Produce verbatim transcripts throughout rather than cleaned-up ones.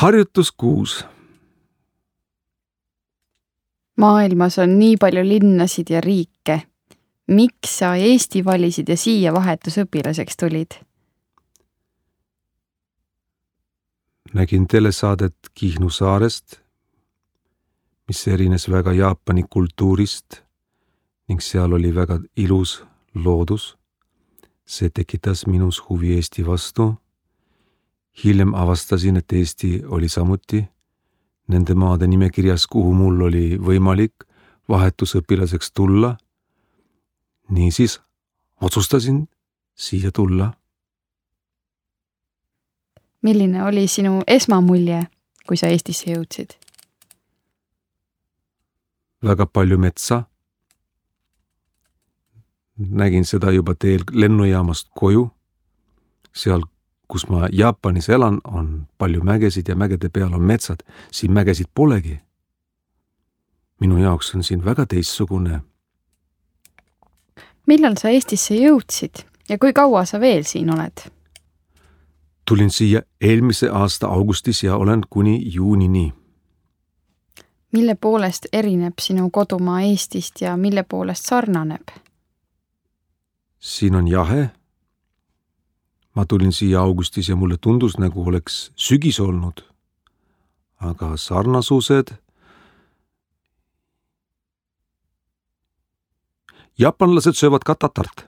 Harjutus kuus. Maailmas on nii palju linnasid ja riike. Miks sa Eesti valisid ja siia vahetusõpilaseks tulid? Nägin telesaadet Kihnu saarest, mis erines väga Jaapani kultuurist ning seal oli väga ilus loodus. See tekitas minus huvi Eesti vastu. Hiljem avastasin, et Eesti oli samuti nende maade nimekirjas, kuhu mul oli võimalik vahetusõpilaseks tulla. Niisiis otsustasin siia tulla. Milline oli sinu esmamulje, kui sa Eestisse jõudsid? Väga palju metsa. Nägin seda juba teel lennujaamast koju. Seal, kus ma Jaapanis elan, on palju mägesid ja mägede peal on metsad. Siin mägesid polegi. Minu jaoks on siin väga teistsugune. Millal sa Eestisse jõudsid ja kui kaua sa veel siin oled? Tulin siia eelmise aasta augustis ja olen kuni juunini. Mille poolest erineb sinu kodumaa Eestist ja mille poolest sarnaneb? Siin on jahe. Ma tulin siia augustis ja mulle tundus, nagu oleks sügis olnud. Aga sarnasused... Jaapanlased söövad ka tatart.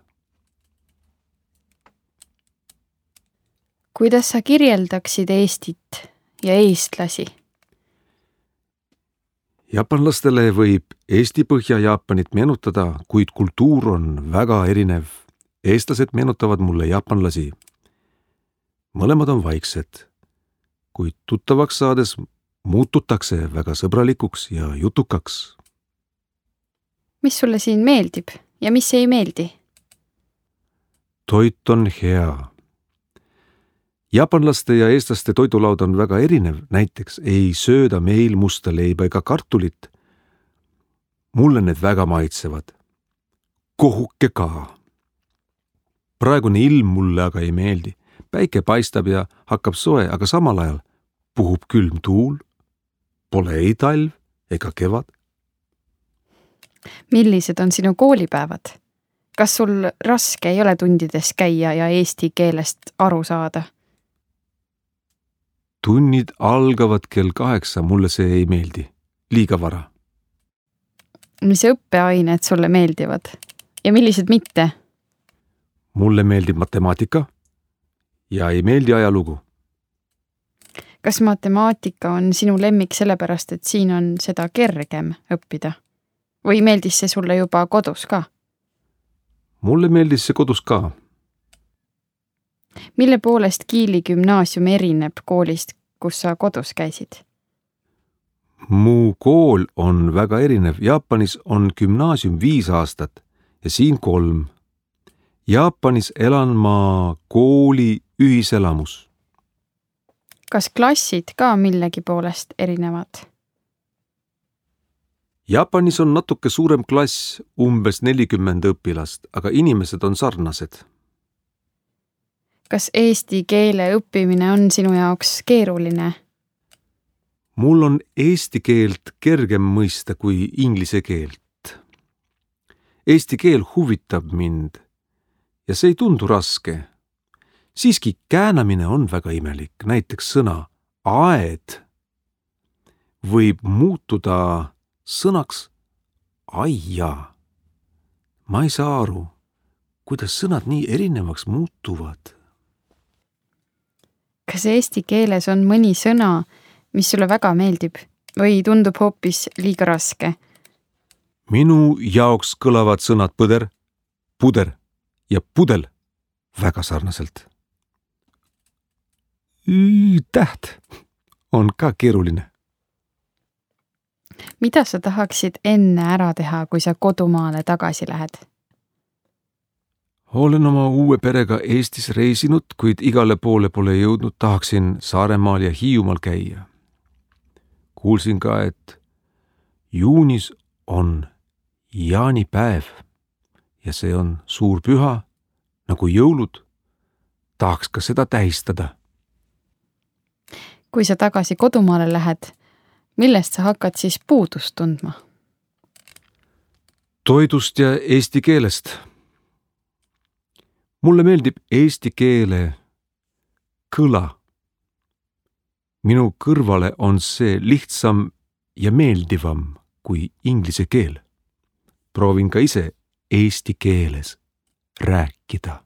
Kuidas sa kirjeldaksid Eestit ja eestlasi? Jaapanlastele võib Eesti Põhja-Jaapanit meenutada, kuid kultuur on väga erinev. Eestlased meenutavad mulle jaapanlasi. Mõlemad on vaiksed, kuid tuttavaks saades muututakse väga sõbralikuks ja jutukaks. Mis sulle siin meeldib ja mis ei meeldi? Toit on hea. Jaapanlaste ja eestlaste toidulaud on väga erinev. Näiteks ei sööda meil musta leiba ega kartulit. Mulle need väga maitsevad. Kohuke ka. Praegune ilm mulle aga ei meeldi. Päike paistab ja hakkab soe, aga samal ajal puhub külm tuul. Pole ei talv ega kevad. Millised on sinu koolipäevad? Kas sul raske ei ole tundides käia ja eesti keelest aru saada? Tunnid algavad kell kaheksa, mulle see ei meeldi. Liiga vara. Mis õppeained sulle meeldivad? Ja millised mitte? Mulle meeldib matemaatika ja ei meeldi ajalugu. Kas matemaatika on sinu lemmik sellepärast, et siin on seda kergem õppida? Või meeldis see sulle juba kodus ka? Mulle meeldis see kodus ka. Mille poolest Kiili gümnaasium erineb koolist, kus sa kodus käisid? Mu kool on väga erinev. Jaapanis on gümnaasium viis aastat ja siin kolm. Jaapanis elan ma kooli ühiselamus. Kas klassid ka millegi poolest erinevad? Jaapanis on natuke suurem klass, umbes nelikümmend õpilast, aga inimesed on sarnased. Kas eesti keele õppimine on sinu jaoks keeruline? Mul on eesti keelt kergem mõista kui inglise keelt. Eesti keel huvitab mind ja see ei tundu raske. Siiski käänamine on väga imelik. Näiteks sõna aed võib muutuda sõnaks aia. Ma ei saa aru, kuidas sõnad nii erinevaks muutuvad. Kas eesti keeles on mõni sõna, mis sulle väga meeldib või tundub hoopis liiga raske? Minu jaoks kõlavad sõnad põder, puder ja pudel väga sarnaselt. Täht on ka keeruline. Mida sa tahaksid enne ära teha, kui sa kodumaale tagasi lähed? Olen oma uue perega Eestis reisinud, kuid igale poole pole jõudnud. Tahaksin Saaremaal ja Hiiumaal käia. Kuulsin ka, et juunis on jaanipäev ja see on suur püha, nagu jõulud. Tahaks ka seda tähistada. kui sa tagasi kodumaale lähed, millest sa hakkad siis puudust tundma? Toidust ja eesti keelest. Mulle meeldib eesti keele kõla. Minu kõrvale on see lihtsam ja meeldivam kui inglise keel. Proovin ka ise eesti keeles rääkida.